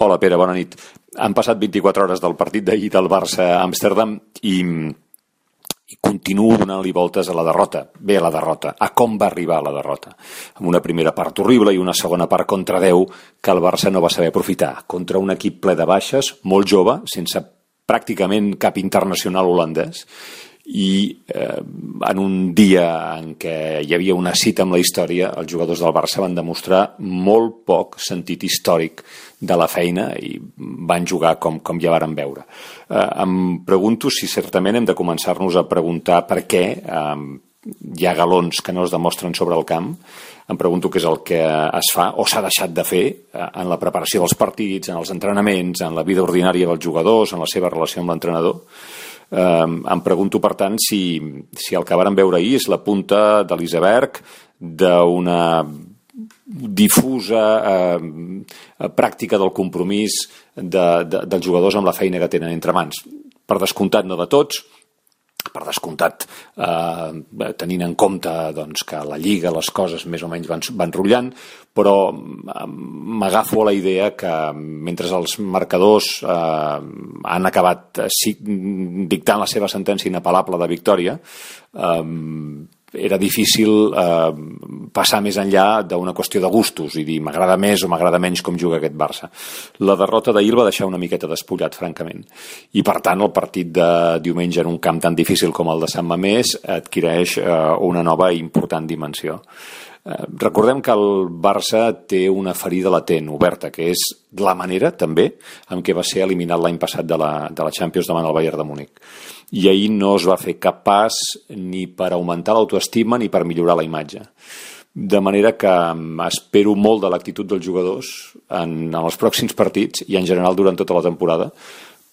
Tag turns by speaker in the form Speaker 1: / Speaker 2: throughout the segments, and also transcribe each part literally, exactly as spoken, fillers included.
Speaker 1: Hola, Pere, bona nit. Han passat vint-i-quatre hores del partit d'ahir del Barça a Amsterdam i, i continuo donant-li voltes a la derrota. Bé, a la derrota. A com va arribar a la derrota. Amb una primera part horrible i una segona part contra deu que el Barça no va saber aprofitar. Contra un equip ple de baixes, molt jove, sense pràcticament cap internacional holandès, i eh, en un dia en què hi havia una cita amb la història, els jugadors del Barça van demostrar molt poc sentit històric de la feina i van jugar com, com ja varen veure. Eh, em pregunto si certament hem de començar-nos a preguntar per què eh, hi ha galons que no es demostren sobre el camp. Em pregunto què és el que es fa o s'ha deixat de fer en la preparació dels partits, en els entrenaments, en la vida ordinària dels jugadors, en la seva relació amb l'entrenador. Um, em pregunto, per tant, si, si el que vàrem veure ahir és la punta de l'iceberg d'una difusa eh, pràctica del compromís de, de, dels jugadors amb la feina que tenen entre mans. Per descomptat, no de tots, per descomptat, eh, tenint en compte doncs, que a la Lliga les coses més o menys van, van rotllant, però m'agafo a la idea que mentre els marcadors eh, han acabat eh, dictant la seva sentència inapel·lable de victòria, eh, era difícil eh, passar més enllà d'una qüestió de gustos i dir m'agrada més o m'agrada menys com juga aquest Barça. La derrota d'ahir el va deixar una miqueta despullat, francament. I, per tant, el partit de diumenge en un camp tan difícil com el de Sant Mamés adquireix eh, una nova i important dimensió. Eh, recordem que el Barça té una ferida latent, oberta, que és la manera, també, en què va ser eliminat l'any passat de la, de la Champions davant el Bayern de Múnich. I ahir no es va fer cap pas ni per augmentar l'autoestima ni per millorar la imatge. De manera que espero molt de l'actitud dels jugadors en, en els pròxims partits i en general durant tota la temporada,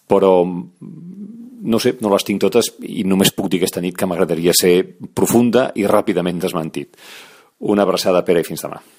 Speaker 1: però no sé, no les tinc totes i només puc dir aquesta nit que m'agradaria ser profunda i ràpidament desmentit. Una abraçada, Pere, i fins demà.